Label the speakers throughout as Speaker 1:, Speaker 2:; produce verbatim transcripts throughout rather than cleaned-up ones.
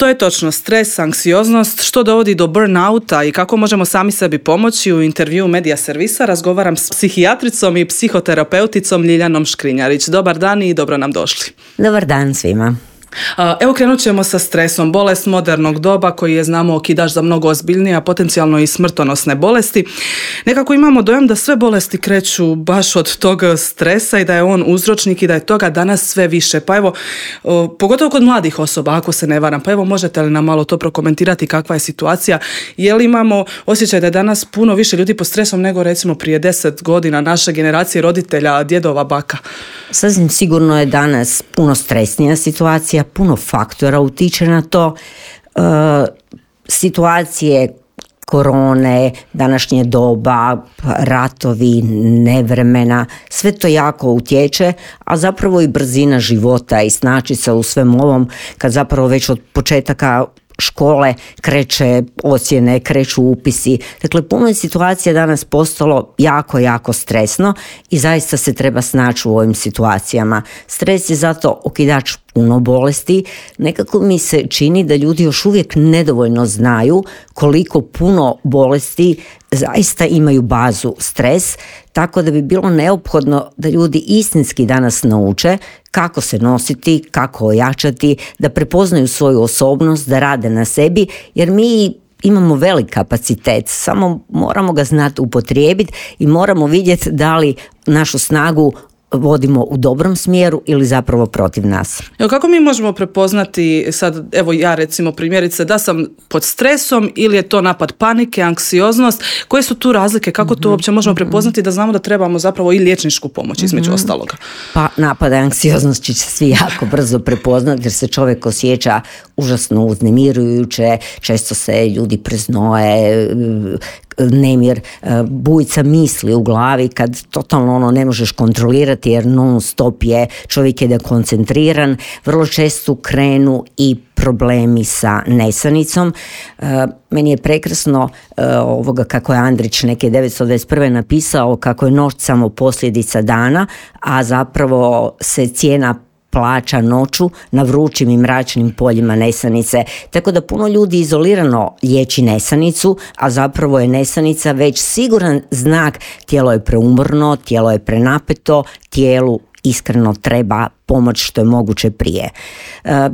Speaker 1: Što je točno stres, anksioznost, što dovodi do burnouta i kako možemo sami sebi pomoći? U intervjuu Medija servisa razgovaram s psihijatricom i psihoterapeuticom Ljiljanom Škrinjarić. Dobar dan i dobro nam došli.
Speaker 2: Dobar dan svima.
Speaker 1: Evo krenut ćemo sa stresom, bolest modernog doba koji je, znamo, okidač za mnogo ozbiljnije, a potencijalno i smrtonosne bolesti. Nekako imamo dojam da sve bolesti kreću baš od tog stresa i da je on uzročnik i da je toga danas sve više. Pa evo, pogotovo kod mladih osoba, ako se ne varam, pa evo možete li nam malo to prokomentirati kakva je situacija? Je li imamo osjećaj da je danas puno više ljudi pod stresom nego recimo prije deset godina naše generacije roditelja, djedova, baka?
Speaker 2: Sasvim sigurno je danas puno stresnija situacija, puno faktora utiče na to. E, situacije korone, današnje doba, ratovi, nevremena, sve to jako utječe, a zapravo i brzina života i snaći se u svem ovom, kad zapravo već od početaka škole kreće ocjene, kreću upisi. Dakle, puno je situacija danas postalo jako, jako stresno i zaista se treba snaći u ovim situacijama. Stres je zato okidač puno bolesti. Nekako mi se čini da ljudi još uvijek nedovoljno znaju koliko puno bolesti zaista imaju bazu stres, tako da bi bilo neophodno da ljudi istinski danas nauče kako se nositi, kako ojačati, da prepoznaju svoju osobnost, da rade na sebi, jer mi imamo velik kapacitet, samo moramo ga znati upotrijebiti i moramo vidjeti da li našu snagu vodimo u dobrom smjeru ili zapravo protiv nas.
Speaker 1: Evo, kako mi možemo prepoznati sad, evo ja recimo primjerice, da sam pod stresom ili je to napad panike, anksioznost, koje su tu razlike, kako to uopće možemo prepoznati da znamo da trebamo zapravo i liječničku pomoć između mm-hmm. ostaloga? Pa
Speaker 2: napad anksioznost će se svi jako brzo prepoznati jer se čovjek osjeća užasno uznemirujuće, često se ljudi preznoje, nemir, bujica misli u glavi kad totalno ono ne možeš kontrolirati jer non stop je, čovjek je dekoncentriran, vrlo često krenu i problemi sa nesanicom. Meni je prekrasno ovoga kako je Andrić neke devetsto dvadeset prve napisao kako je noć samo posljedica dana, a zapravo se cijena plaća noću na vrućim i mračnim poljima nesanice. Tako da puno ljudi izolirano liječi nesanicu, a zapravo je nesanica već siguran znak tijelo je preumorno, tijelo je prenapeto, tijelu iskreno treba pomoć što je moguće prije.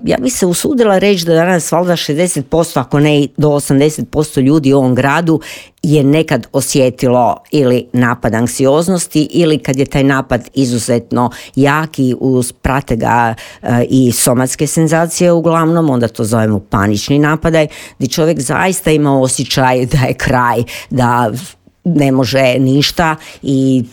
Speaker 2: Ja bih se usudila reći da danas valjda šezdeset posto, ako ne i do osamdeset posto ljudi u ovom gradu je nekad osjetilo ili napad anksioznosti ili kad je taj napad izuzetno jaki, prate ga i somatske senzacije uglavnom, onda to zovemo panični napadaj, gdje čovjek zaista ima osjećaj da je kraj, da ne može ništa i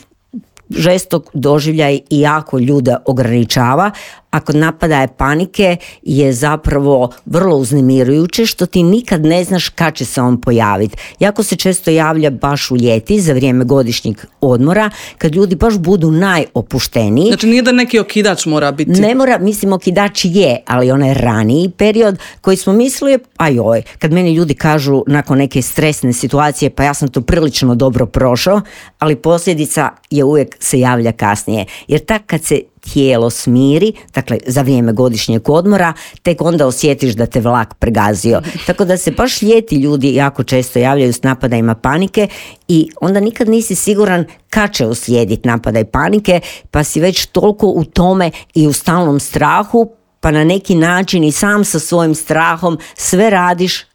Speaker 2: žestok doživljaj i jako ljude ograničava, a kod napadaja panike je zapravo vrlo uznemirujuće što ti nikad ne znaš kad će se on pojaviti. Jako se često javlja baš u ljeti za vrijeme godišnjeg odmora kad ljudi baš budu najopušteniji.
Speaker 1: Znači nije da neki okidač mora biti?
Speaker 2: Ne mora, mislim okidač je, ali onaj raniji period koji smo mislili, a joj, kad meni ljudi kažu nakon neke stresne situacije pa ja sam to prilično dobro prošao, ali posljedica je uvijek se javlja kasnije. Jer tak kad se tijelo smiri, dakle za vrijeme godišnjeg odmora, tek onda osjetiš da te vlak pregazio. Tako da se baš ljeti ljudi jako često javljaju s napadajima panike i onda nikad nisi siguran kad će uslijediti napadaj panike, pa si već toliko u tome i u stalnom strahu, pa na neki način i sam sa svojim strahom sve radiš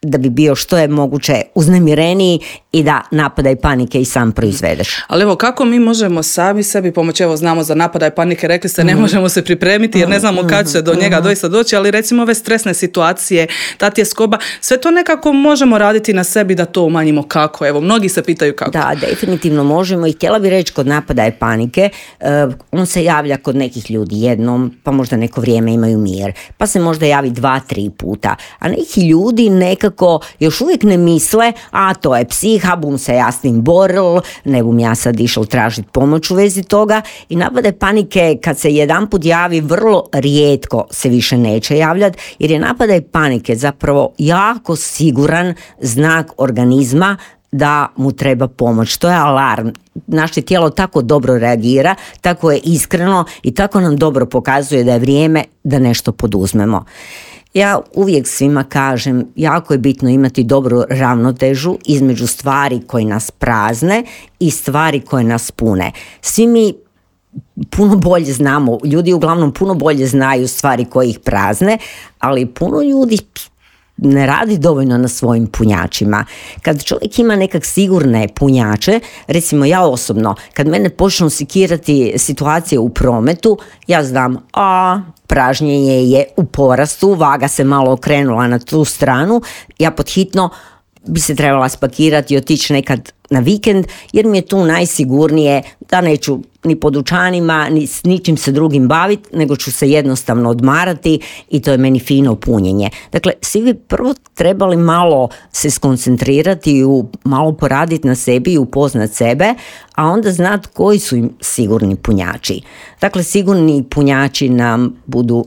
Speaker 2: da bi bio što je moguće uznemireniji i da napadaj panike i sam proizvedeš.
Speaker 1: Ali evo, kako mi možemo sami sebi pomoći? Evo, znamo za napadaj panike, rekli ste ne možemo se pripremiti jer ne znamo kad će do njega doista doći, ali recimo ove stresne situacije, ta tjeskoba, sve to nekako možemo raditi na sebi da to umanjimo. Kako? Evo, mnogi se pitaju kako.
Speaker 2: Da, definitivno možemo i htjela bih reći kod napadaja panike, uh, on se javlja kod nekih ljudi jednom, pa možda neko vrijeme imaju mir, pa se možda javi dva, tri puta, a neki ljudi nekako još uvijek ne misle, a to je psiha, bum se ja s tim boril, ne bum ja sad išao tražiti pomoć u vezi toga i napade panike kad se jedanput javi vrlo rijetko se više neće javljati jer je napadaj panike zapravo jako siguran znak organizma da mu treba pomoć. To je alarm. Naše tijelo tako dobro reagira, tako je iskreno i tako nam dobro pokazuje da je vrijeme da nešto poduzmemo. Ja uvijek svima kažem, jako je bitno imati dobru ravnotežu između stvari koje nas prazne i stvari koje nas pune. Svi mi puno bolje znamo, ljudi uglavnom puno bolje znaju stvari koje ih prazne, ali puno ljudi ne radi dovoljno na svojim punjačima. Kad čovjek ima nekak sigurne punjače, recimo ja osobno, kad mene počnu sikirati situacije u prometu, ja znam, a pražnjenje je u porastu, vaga se malo okrenula na tu stranu, ja podhitno bi se trebala spakirati i otići nekad na vikend, jer mi je tu najsigurnije da neću ni po dućanima, ni s ničim se drugim baviti, nego ću se jednostavno odmarati i to je meni fino punjenje. Dakle, svi bi prvo trebali malo se skoncentrirati i malo poraditi na sebi i upoznat sebe, a onda znati koji su im sigurni punjači. Dakle, sigurni punjači nam budu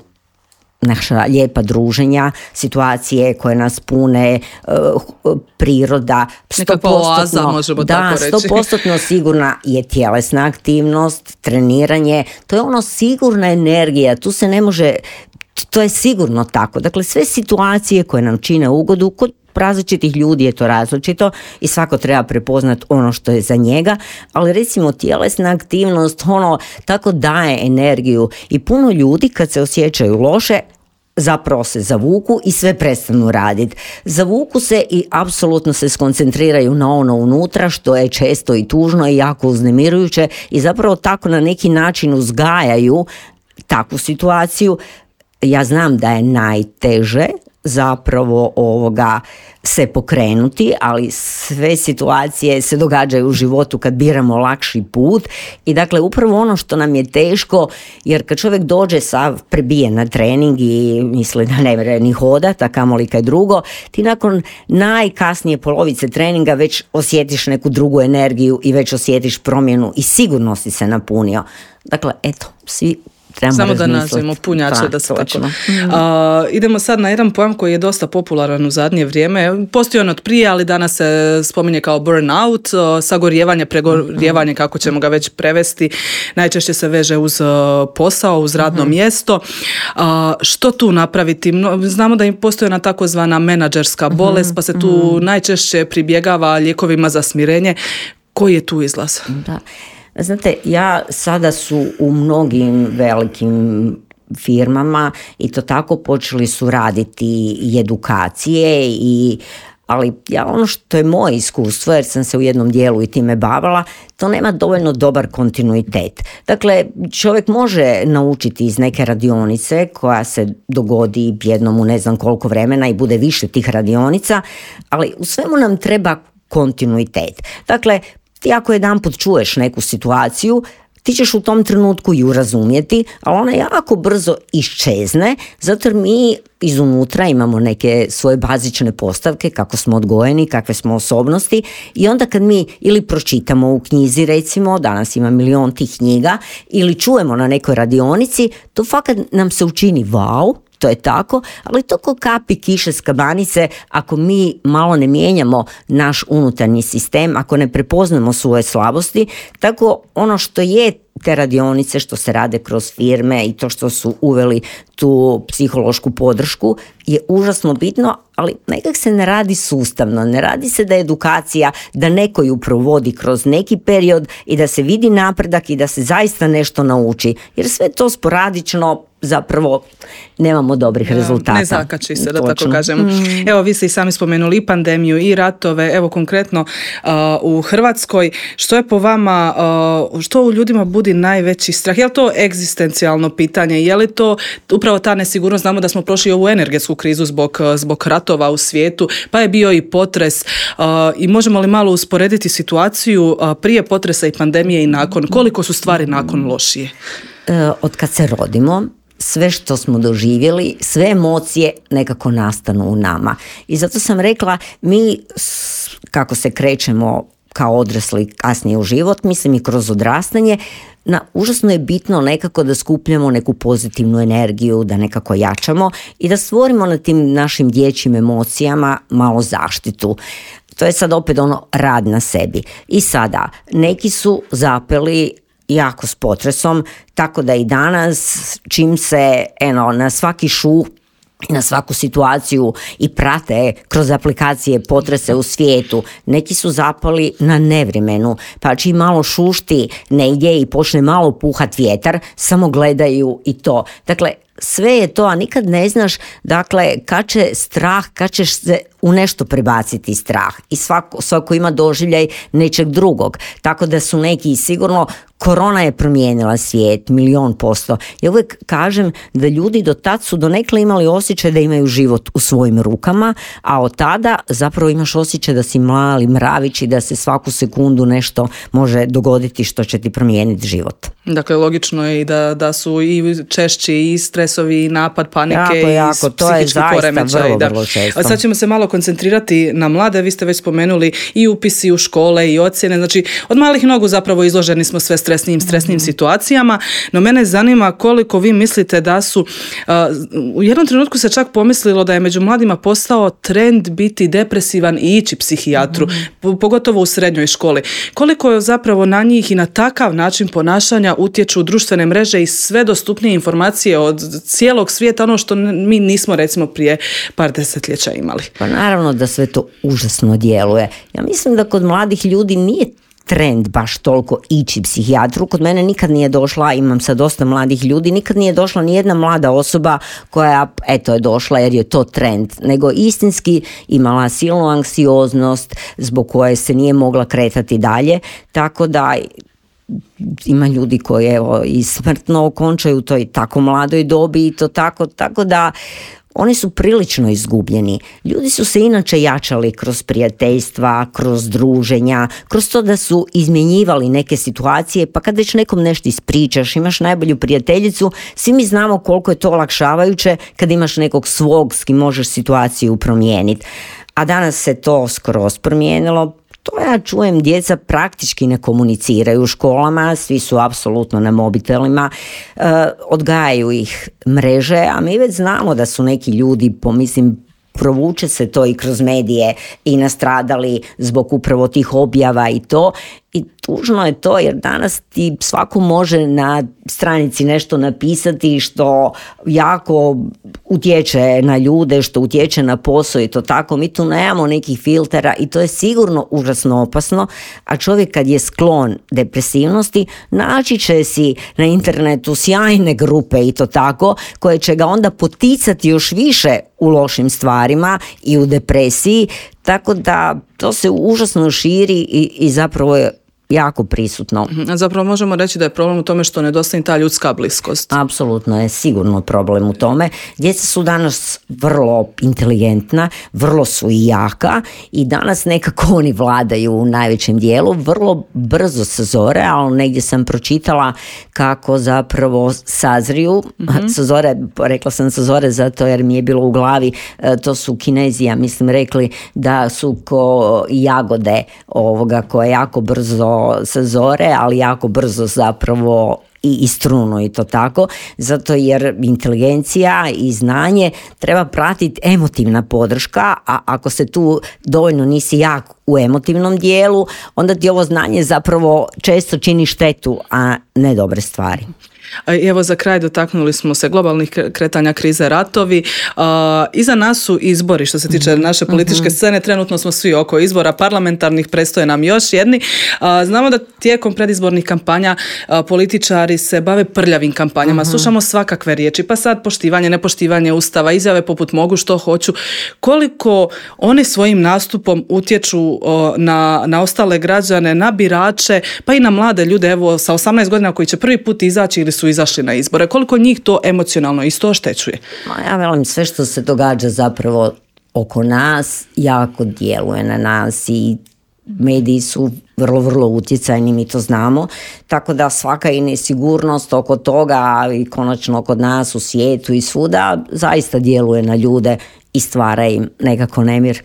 Speaker 2: naša lijepa druženja, situacije koje nas pune, uh, priroda,
Speaker 1: nekakva oaza, možemo
Speaker 2: da,
Speaker 1: tako reći.
Speaker 2: sto posto sigurna je tjelesna aktivnost, treniranje, to je ono sigurna energija, tu se ne može, to je sigurno tako. Dakle, sve situacije koje nam čine ugodu, kod različitih ljudi je to različito i svako treba prepoznat ono što je za njega, ali recimo tjelesna aktivnost ono tako daje energiju i puno ljudi kad se osjećaju loše zapravo se zavuku i sve prestanu raditi. Zavuku se i apsolutno se skoncentriraju na ono unutra što je često i tužno i jako uznemirujuće i zapravo tako na neki način uzgajaju takvu situaciju. Ja znam da je najteže zapravo ovoga se pokrenuti, ali sve situacije se događaju u životu kad biramo lakši put i dakle upravo ono što nam je teško, jer kad čovjek dođe sav prebijen na trening i misli da ne može ni hodat, a kamoli kaj drugo, ti nakon najkasnije polovice treninga već osjetiš neku drugu energiju i već osjetiš promjenu i sigurno si se napunio. Dakle, eto, svi trebamo
Speaker 1: samo da
Speaker 2: razmisliti.
Speaker 1: nađemo punjače
Speaker 2: Pa,
Speaker 1: da se
Speaker 2: točno.
Speaker 1: tako. A, idemo sad na jedan pojam koji je dosta popularan u zadnje vrijeme. Postoji on od prije, ali danas se spominje kao burnout, sagorijevanje, pregorijevanje, kako ćemo ga već prevesti. Najčešće se veže uz posao, uz radno mjesto. A, što tu napraviti? Znamo da im postoji ona takozvana menadžerska bolest, pa se tu najčešće pribjegava lijekovima za smirenje. Koji je tu izlaz?
Speaker 2: Da. Znate, ja sada su u mnogim velikim firmama i to tako počeli su raditi i edukacije i ali ja ono što je moje iskustvo, jer sam se u jednom dijelu i time bavila, to nema dovoljno dobar kontinuitet. Dakle, čovjek može naučiti iz neke radionice koja se dogodi jednom u ne znam koliko vremena i bude više tih radionica, ali u svemu nam treba kontinuitet. Dakle, ti ako jedanput čuješ neku situaciju, ti ćeš u tom trenutku ju razumjeti, ali ona jako brzo iščezne, zato jer mi izunutra imamo neke svoje bazične postavke, kako smo odgojeni, kakve smo osobnosti i onda kad mi ili pročitamo u knjizi, recimo, danas ima milion tih knjiga, ili čujemo na nekoj radionici, to fakat nam se učini wow, to je tako, ali to ko kapi kiše s kabanice ako mi malo ne mijenjamo naš unutarnji sistem, ako ne prepoznamo svoje slabosti, tako ono što je te radionice što se rade kroz firme i to što su uveli tu psihološku podršku je užasno bitno, ali nekak se ne radi sustavno, ne radi se da je edukacija, da neko ju provodi kroz neki period i da se vidi napredak i da se zaista nešto nauči, jer sve to sporadično zapravo nemamo dobrih rezultata.
Speaker 1: Ne zakači se, da
Speaker 2: Točno.
Speaker 1: tako kažemo. Mm. Evo, vi ste i sami spomenuli i pandemiju i ratove, evo konkretno uh, u Hrvatskoj, što je po vama, uh, što u ljudima budi najveći strah? Je li to egzistencijalno pitanje? Je li to upravo ta nesigurnost? Znamo da smo prošli ovu energetsku krizu zbog, zbog ratova u svijetu, pa je bio i potres uh, i možemo li malo usporediti situaciju uh, prije potresa i pandemije i nakon? Koliko su stvari nakon lošije?
Speaker 2: E, od kad se rodimo, sve što smo doživjeli, sve emocije nekako nastanu u nama. I zato sam rekla, mi kako se krećemo kao odrasli kasnije u život, mislim i kroz odrastanje, na, užasno je bitno nekako da skupljamo neku pozitivnu energiju, da nekako jačamo i da stvorimo na tim našim dječjim emocijama malo zaštitu. To je sad opet ono rad na sebi. I sada, neki su zapeli jako s potresom, tako da i danas čim se eno, na svaki šu na svaku situaciju i prate kroz aplikacije potrese u svijetu. Neki su zapali na nevremenu, pa čim malo šušti negdje i počne malo puhat vjetar, samo gledaju i to. Dakle, sve je to, a nikad ne znaš, dakle, kad će strah, kad ćeš se u nešto prebaciti strah. I svako, svako ima doživljaj nečeg drugog. Tako da su neki sigurno, korona je promijenila svijet, milion posto. Ja uvijek kažem da ljudi do tad su donekle imali osjećaj da imaju život u svojim rukama, a od tada zapravo imaš osjećaj da si mali mravić i da se svaku sekundu nešto može dogoditi što će ti promijeniti život.
Speaker 1: Dakle, logično je i da, da su i češći i stresovi i napad panike jako,
Speaker 2: i jako, psihički poremećaj. Da.
Speaker 1: Sad ćemo se malo koncentrirati na mlade. Vi ste već spomenuli i upisi u škole i ocjene. Znači, od malih nogu zapravo izloženi smo sve stresnijim, stresnijim mm-hmm. situacijama. No mene zanima koliko vi mislite da su... Uh, u jednom trenutku se čak pomislilo da je među mladima postao trend biti depresivan i ići psihijatru, mm-hmm. pogotovo u srednjoj školi. Koliko je zapravo na njih i na takav način ponašanja utječu društvene mreže i sve dostupnije informacije od cijelog svijeta, ono što mi nismo recimo prije par desetljeća imali.
Speaker 2: Pa naravno da sve to užasno djeluje. Ja mislim da kod mladih ljudi nije trend baš toliko ići psihijatru. Kod mene nikad nije došla, imam sad dosta mladih ljudi, nikad nije došla ni jedna mlada osoba koja eto je došla jer je to trend, nego istinski imala silnu anksioznost zbog koje se nije mogla kretati dalje, tako da ima ljudi koji evo i smrtno okončaju to i tako mladoj dobi i to tako, tako da oni su prilično izgubljeni. Ljudi su se inače jačali kroz prijateljstva, kroz druženja, kroz to da su izmjenjivali neke situacije, pa kad već nekom nešto ispričaš, imaš najbolju prijateljicu, svi mi znamo koliko je to olakšavajuće kad imaš nekog svog s kim možeš situaciju promijeniti. A danas se to skroz promijenilo. To ja čujem, djeca praktički ne komuniciraju u školama, svi su apsolutno na mobitelima, e, odgajaju ih mreže, a mi već znamo da su neki ljudi, pomislim, provuče se to i kroz medije i nastradali zbog upravo tih objava i to. I tužno je to jer danas ti svako može na stranici nešto napisati što jako utječe na ljude, što utječe na posao i to tako. Mi tu nemamo nekih filtera i to je sigurno užasno opasno, a čovjek kad je sklon depresivnosti naći će si na internetu sjajne grupe i to tako koje će ga onda poticati još više u lošim stvarima i u depresiji, tako da to se užasno širi i, i zapravo je jako prisutno.
Speaker 1: Zapravo možemo reći da je problem u tome što nedostaje ta ljudska bliskost.
Speaker 2: Apsolutno je sigurno problem u tome. Djeca su danas vrlo inteligentna, vrlo su i jaka i danas nekako oni vladaju u najvećem dijelu, vrlo brzo sazore, ali negdje sam pročitala kako zapravo sazriju. Mm-hmm. Sazore, rekla sam sazore zato jer mi je bilo u glavi, to su Kinezi, ja mislim, rekli da su ko jagode ovoga koje jako brzo sazore, ali jako brzo zapravo i istruno i to tako, zato jer inteligencija i znanje treba pratiti emotivna podrška, a ako se tu dovoljno nisi jak u emotivnom dijelu, onda ti ovo znanje zapravo često čini štetu, a ne dobre stvari.
Speaker 1: Evo za kraj dotaknuli smo se globalnih kretanja, krize, ratovi. Uh, iza nas su izbori što se tiče naše političke scene. Trenutno smo svi oko izbora parlamentarnih, predstoje nam još jedni. Uh, znamo da tijekom predizbornih kampanja uh, političari se bave prljavim kampanjama. Uh-huh. Slušamo svakakve riječi, pa sad poštivanje, nepoštivanje Ustava, izjave poput mogu što hoću. Koliko oni svojim nastupom utječu uh, na, na ostale građane, na birače, pa i na mlade ljude, evo sa osamnaest godina koji će prvi put izaći ili su izašli na izbore. Koliko njih to emocionalno isto oštećuje?
Speaker 2: Ja velim, sve što se događa zapravo oko nas jako djeluje na nas i mediji su vrlo, vrlo utjecajni, mi to znamo, tako da svaka i nesigurnost oko toga i konačno kod nas u svijetu i svuda zaista djeluje na ljude i stvara im nekako nemir.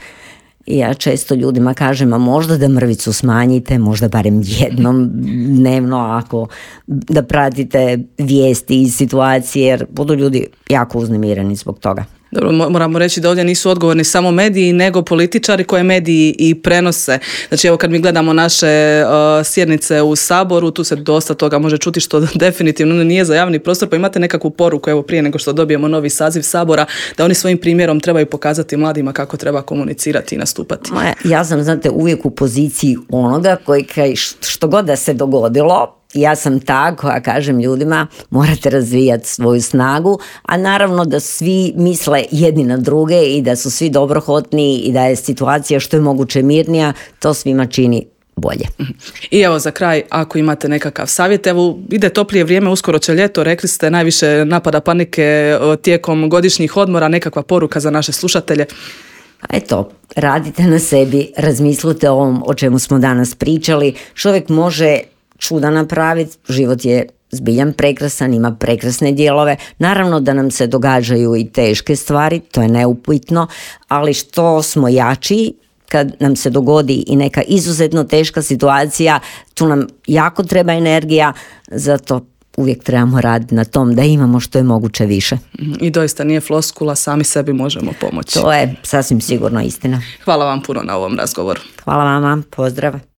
Speaker 2: I ja često ljudima kažem, a možda da mrvicu smanjite, možda barem jednom dnevno, ako da pratite vijesti i situacije, jer budu ljudi jako uznemireni zbog toga.
Speaker 1: Dobro, moramo reći da ovdje nisu odgovorni samo mediji, nego političari koje mediji i prenose. Znači evo kad mi gledamo naše uh, sjednice u Saboru, tu se dosta toga može čuti što definitivno nije za javni prostor, pa imate nekakvu poruku evo prije nego što dobijemo novi saziv Sabora, da oni svojim primjerom trebaju pokazati mladima kako treba komunicirati i nastupati.
Speaker 2: Ja sam, znate, uvijek u poziciji onoga koji kaj, što god da se dogodilo, ja sam ta koja kažem ljudima morate razvijati svoju snagu, a naravno da svi misle jedni na druge i da su svi dobrohotni i da je situacija što je moguće mirnija, to svima čini bolje.
Speaker 1: I evo za kraj, ako imate nekakav savjet, evo ide toplije vrijeme, uskoro će ljeto, rekli ste najviše napada panike tijekom godišnjih odmora, nekakva poruka za naše slušatelje?
Speaker 2: Eto, radite na sebi, razmislite o ovom o čemu smo danas pričali, čovjek može čuda napraviti, život je zbiljan prekrasan, ima prekrasne dijelove, naravno da nam se događaju i teške stvari, to je neupitno, ali što smo jači, kad nam se dogodi i neka izuzetno teška situacija, tu nam jako treba energija, zato uvijek trebamo raditi na tom da imamo što je moguće više.
Speaker 1: I doista nije floskula, sami sebi možemo pomoći.
Speaker 2: To je sasvim sigurno istina.
Speaker 1: Hvala vam puno na ovom razgovoru.
Speaker 2: Hvala vama, pozdrav.